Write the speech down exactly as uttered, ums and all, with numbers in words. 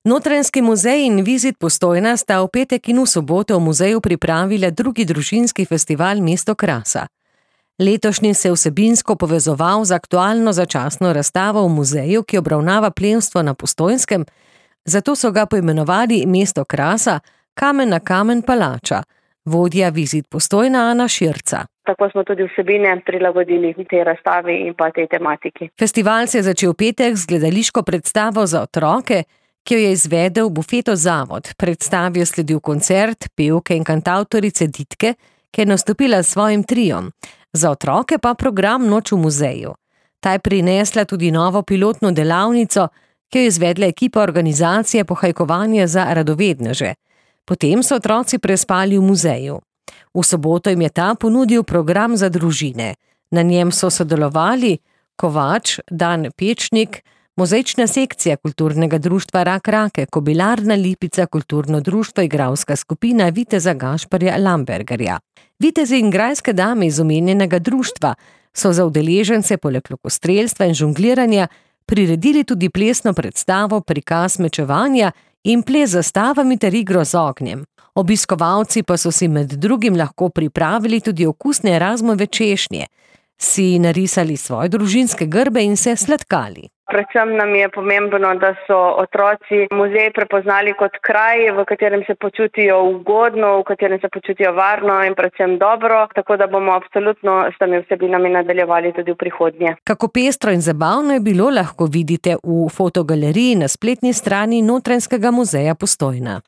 Notranjski muzej in Vizit Postojna sta v petek in v soboto v muzeju pripravila drugi družinski festival Mesto krasa. Letošnji se je vsebinsko povezoval z aktualno začasno razstavo v muzeju, ki obravnava plemstvo na Postojnskem, zato so ga poimenovali Mesto krasa, kamen na kamen palača, vodja Vizit Postojna Ana Širca. Tako smo tudi vsebine prilagodili tej razstavi in pa tej tematiki. Festival se je začel petek z gledališko predstavo za otroke, ki jo je izvedel Bufeto Zavod. Predstavi je sledil koncert pevke in kantavtorice Ditke, ki je nastopila s svojim triom. Za otroke pa program Noč v muzeju. Ta je prinesla tudi novo pilotno delavnico, ki jo je izvedla ekipa organizacije Pohajkovanje za radovedneže. Potem so otroci prespali v muzeju. V soboto jim je ta ponudil program za družine. Na njem so sodelovali kovač Dan Pečnik, muzejčna sekcija kulturnega društva Rak Rake, kobilarna Lipica, kulturno društvo, igralska skupina Viteza Gašparja Lambergerja. Vitezi in grajske dame iz omenjenega društva so za udeležence poleg lokostrelstva in žongliranja priredili tudi plesno predstavo, prikaz mečevanja in ples z zastavami ter igro z ognjem. Obiskovalci pa so si med drugim lahko pripravili tudi okusne Erasmove češnje, si narisali svoje družinske grbe in se sladkali. Predvsem nam je pomembno, da so otroci muzej prepoznali kot kraj, v katerem se počutijo ugodno, v katerem se počutijo varno in predvsem dobro, tako da bomo absolutno s temi vsebinami nadaljevali tudi v prihodnje. Kako pestro in zabavno je bilo, lahko vidite v fotogaleriji na spletni strani Notranjskega muzeja Postojna.